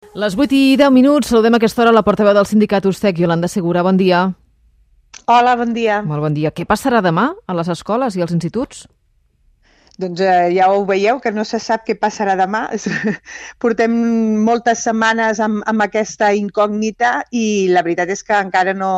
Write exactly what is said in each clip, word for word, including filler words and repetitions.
Les vuit i deu minuts, saludem a aquesta hora la portaveu del sindicat Ustec, Iolanda Segura. Bon dia. Hola, bon dia. Molt bon dia. Què passarà demà a les escoles i als instituts? Doncs eh, ja ho veieu, que no se sap què passarà demà. Portem moltes setmanes amb, amb aquesta incògnita i la veritat és que encara no,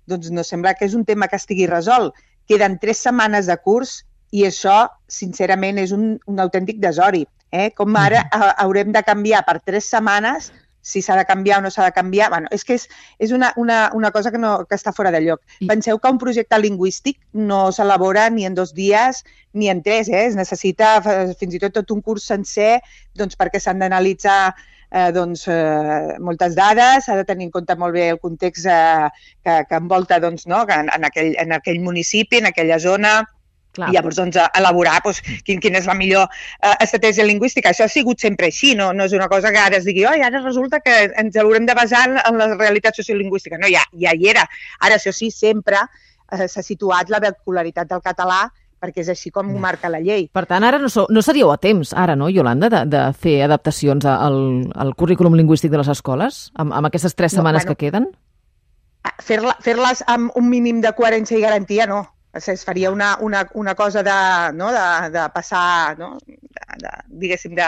doncs no sembla que és un tema que estigui resolt. Queden tres setmanes de curs i això, sincerament, és un, un autèntic desori. Eh? Com ara eh, haurem de canviar per tres setmanes, si s'ha de canviar o no s'ha de canviar. Bueno, és que és, és una, una, una cosa que, no, que està fora de lloc. I... Penseu que un projecte lingüístic no s'elabora ni en dos dies ni en tres. Eh? Es necessita fins i tot tot un curs sencer doncs, perquè s'han d'analitzar eh, doncs, eh, moltes dades, s'ha de tenir en compte molt bé el context eh, que, que envolta doncs, no? en, en, aquell, en aquell municipi, en aquella zona. Clar. I llavors doncs, elaborar doncs, quin, quina és la millor eh, estratègia lingüística. Això ha sigut sempre així, no, no és una cosa que ara es digui oi, ara resulta que ens haurem de basar en la realitat sociolingüística. No, ja, ja hi era. Ara, això sí, sempre eh, s'ha situat la vehicularitat del català perquè és així com ho marca la llei. Per tant, ara no, so, no seríeu a temps, ara, no, Iolanda, de, de fer adaptacions al, al currículum lingüístic de les escoles, amb, amb aquestes tres setmanes no, bueno, que queden? Fer-la, fer-les amb un mínim de coherència i garantia, no. Es faria una, una, una cosa de, no, de, de passar, no, de, de, diguéssim, de,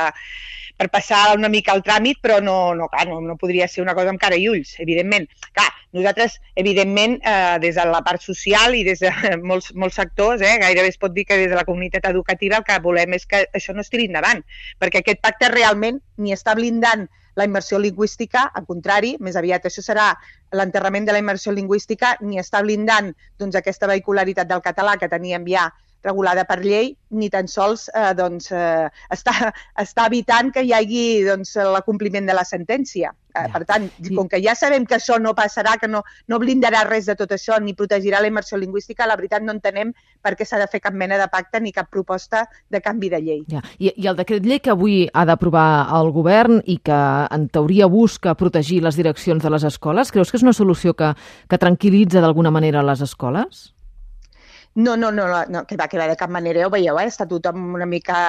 per passar una mica el tràmit, però no, no, clar, no, no podria ser una cosa amb cara i ulls, evidentment. Clar, nosaltres, evidentment, eh, des de la part social i des de molts, molts sectors, eh, gairebé es pot dir que des de la comunitat educativa el que volem és que això no es tiri endavant, perquè aquest pacte realment ni està blindant la immersió lingüística, al contrari, més aviat això serà l'enterrament de la immersió lingüística, ni està blindant doncs, aquesta vehicularitat del català que teníem ja regulada per llei, ni tan sols eh, doncs, eh, està, està evitant que hi hagi doncs, l'acompliment de la sentència. Eh, per tant, com que ja sabem que això no passarà, que no, no blindarà res de tot això, ni protegirà la immersió lingüística, la veritat no entenem per què s'ha de fer cap mena de pacte ni cap proposta de canvi de llei. Ja. I, I el decret llei que avui ha d'aprovar el govern i que en teoria busca protegir les direccions de les escoles, creus que és una solució que, que tranquil·litza d'alguna manera les escoles? No, no, no, no, que va, que va de cap manera, ja ho veieu, eh? Està tothom una mica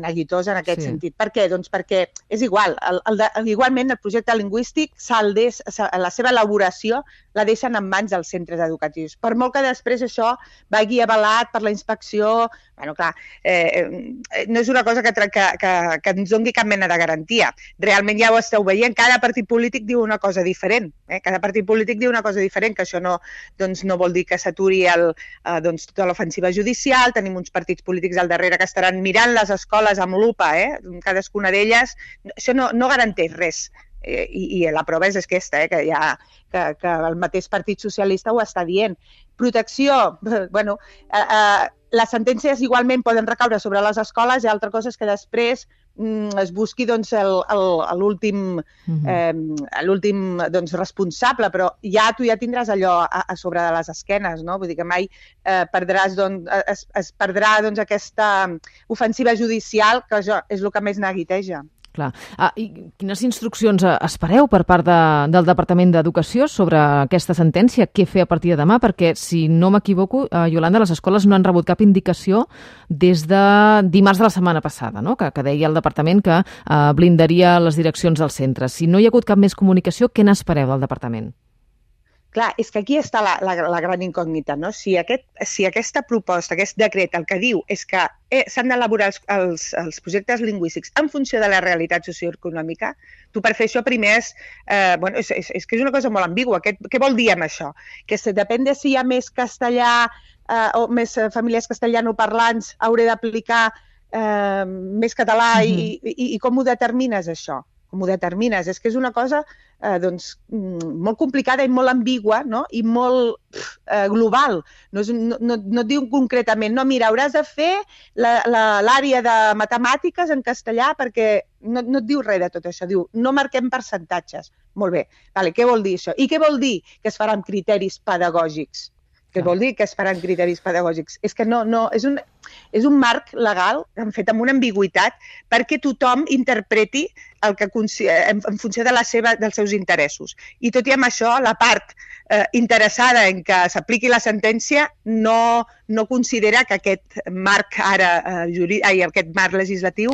neguitós en aquest sí. sentit. Per què? Doncs perquè és igual, el, el de, igualment el projecte lingüístic, des, la seva elaboració la deixen en mans dels centres educatius. Per molt que després això vagi avalat per la inspecció, bueno, clar, eh, no és una cosa que, que, que, que ens doni cap mena de garantia. Realment ja ho esteu veient, cada partit polític diu una cosa diferent, eh? Cada partit polític diu una cosa diferent, que això no, doncs, no vol dir que s'aturi el, eh, doncs, tota l'ofensiva judicial, tenim uns partits polítics al darrere que estaran mirant les escoles amb lupa, eh? Cadascuna d'elles, això no, no garanteix res. Eh, i, i la prova és aquesta, eh, que, ja, que, que el mateix Partit Socialista ho està dient. Protecció, bueno, eh, eh, les sentències igualment poden recaure sobre les escoles i altra cosa és que després mm, es busqui doncs, l'últim mm-hmm. eh, l'últim doncs, responsable, però ja tu ja tindràs allò a, a sobre de les esquenes, no? Vull dir que mai eh, perdràs, doncs, es, es perdrà doncs, aquesta ofensiva judicial que això és el que més neguiteja. Clar. Ah, i quines instruccions espereu per part de, del Departament d'Educació sobre aquesta sentència? Què fer a partir de demà? Perquè, si no m'equivoco, eh, Iolanda, les escoles no han rebut cap indicació des de dimarts de la setmana passada, no? que, que deia el Departament que eh, blindaria les direccions dels centres. Si no hi ha hagut cap més comunicació, què n'espereu del Departament? Clar, és que aquí està la, la, la gran incògnita, no? Si, aquest, si aquesta proposta, aquest decret, el que diu és que eh, s'han d'elaborar els, els, els projectes lingüístics en funció de la realitat socioeconòmica, tu per fer això primer és, eh, bueno, és, és, és que és una cosa molt ambigua. Què, què vol dir amb això? Que se, depèn de si hi ha més castellà eh, o més famílies castellanoparlants, hauré d'aplicar eh, més català mm-hmm. i, i, i com ho determines això? Com ho determines? És que és una cosa eh, doncs, molt complicada i molt ambigua, no? I molt eh, global. No, és, no, no, no et diu concretament, no, mira, hauràs de fer l'àrea de matemàtiques en castellà perquè no, no et diu res de tot això. Diu, no marquem percentatges. Molt bé, vale, què vol dir això? I què vol dir que es farà amb criteris pedagògics? Què vol dir que es faran criteris pedagògics? És que no, no, és un, és un marc legal fet amb una ambigüitat perquè tothom interpreti el que en, en funció de la seva, dels seus interessos. I tot i amb això, la part eh, interessada en que s'apliqui la sentència no, no considera que aquest marc ara eh, jurídic, ai, aquest marc legislatiu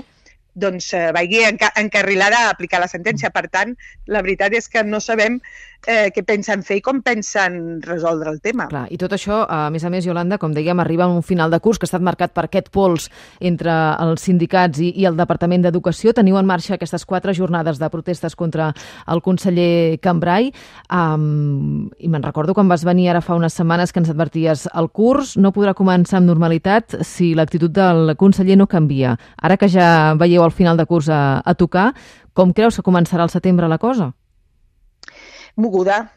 doncs eh, vagi enca encarrilada a aplicar la sentència. Per tant, la veritat és que no sabem eh, què pensen fer i com pensen resoldre el tema. Clar, i tot això, a més a més, Iolanda, com dèiem, arriba a un final de curs que ha estat marcat per aquest pols entre els sindicats i, i el Departament d'Educació. Teniu en marxa aquestes quatre jornades de protestes contra el conseller Cambray. Um, I me'n recordo quan vas venir ara fa unes setmanes que ens adverties el curs no podrà començar amb normalitat si l'actitud del conseller no canvia. Ara que ja veieu al final de curs a, a tocar, com creus que començarà al setembre la cosa? Moguda,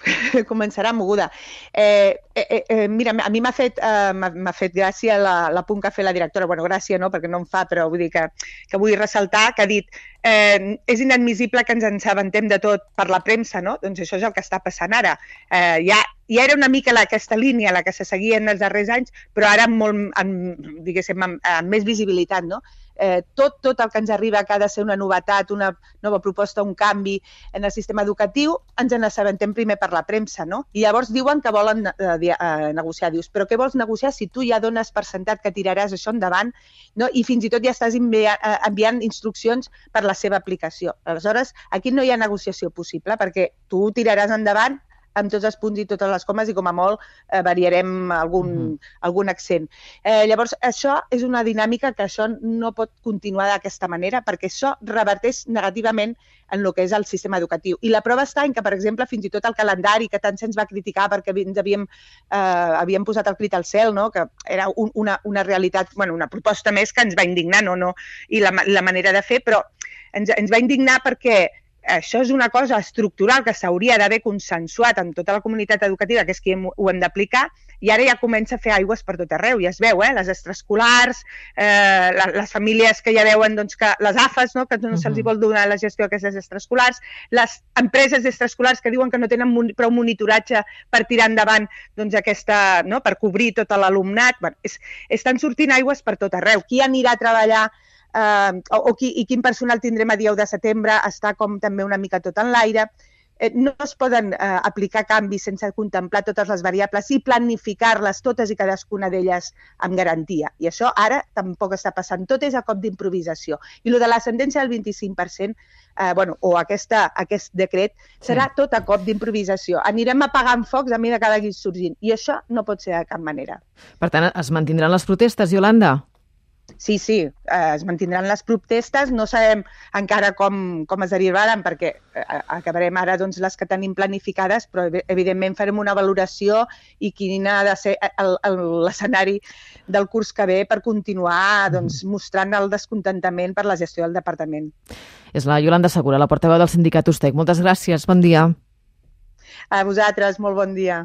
començarà moguda. Eh, eh, eh, mira, a mi m'ha fet, eh, m'ha fet gràcia l'apunt que ha fet la directora. Bueno, gràcia no, perquè no em fa, però vull dir que, que vull ressaltar que ha dit eh, és inadmissible que ens ensabentem de tot per la premsa, no? Doncs això és el que està passant ara. Eh, ja, ja era una mica la, aquesta línia la que se seguia en els darrers anys, però ara amb, molt, amb, diguéssim, amb, amb més visibilitat, no? Eh, tot, tot el que ens arriba que ha de ser una novetat, una nova proposta, un canvi en el sistema educatiu, ens n'assabentem primer per la premsa, no? I llavors diuen que volen eh, eh, negociar. Dius, però què vols negociar si tu ja dones per sentat que tiraràs això endavant, no? I fins i tot ja estàs enviant, eh, enviant instruccions per la seva aplicació. Aleshores, aquí no hi ha negociació possible perquè tu tiraràs endavant amb tots els punts i totes les comes i com a molt eh, variarem algun, mm-hmm. algun accent. Eh, llavors, això és una dinàmica que això no pot continuar d'aquesta manera perquè això reverteix negativament en el que és el sistema educatiu. I la prova està en que, per exemple, fins i tot el calendari que tant se'ns va criticar perquè ens havíem, eh, havíem posat el crit al cel, no? Que era un, una, una realitat, bueno, una proposta més que ens va indignar, no? No? I la, la manera de fer, però ens, ens va indignar perquè això és una cosa estructural que s'hauria d'haver consensuat amb tota la comunitat educativa, que és qui hem, ho hem d'aplicar, i ara ja comença a fer aigües per tot arreu, ja es veu, eh? Les extraescolars, eh, les, les famílies que ja veuen doncs, que les A F Es, no? Que no se'ls hi vol donar la gestió d'aquestes extraescolars, les empreses extraescolars que diuen que no tenen mon prou monitoratge per tirar endavant doncs, aquesta, no? Per cobrir tot l'alumnat. Bueno, és, estan sortint aigües per tot arreu. Qui anirà a treballar Uh, o, o qui, i quin personal tindrem a dia u de setembre, està com també una mica tot en l'aire. Eh, no es poden uh, aplicar canvis sense contemplar totes les variables i planificar-les totes i cadascuna d'elles amb garantia. I això ara tampoc està passant. Tot és a cop d'improvisació. I el de la sentència del vint-i-cinc per cent, eh, bueno, o aquesta, aquest decret, serà sí. Tot a cop d'improvisació. Anirem apagant focs a mesura que vagi sorgint. I això no pot ser de cap manera. Per tant, es mantindran les protestes, Iolanda? Sí, sí, eh, es mantindran les protestes, no sabem encara com, com es derivaran perquè eh, acabarem ara doncs, les que tenim planificades, però evidentment farem una valoració i quin ha de ser l'escenari del curs que ve per continuar doncs, mostrant el descontentament per la gestió del departament. És la Iolanda Segura, la portaveu del sindicat Ustec. Moltes gràcies, bon dia. A vosaltres, molt bon dia.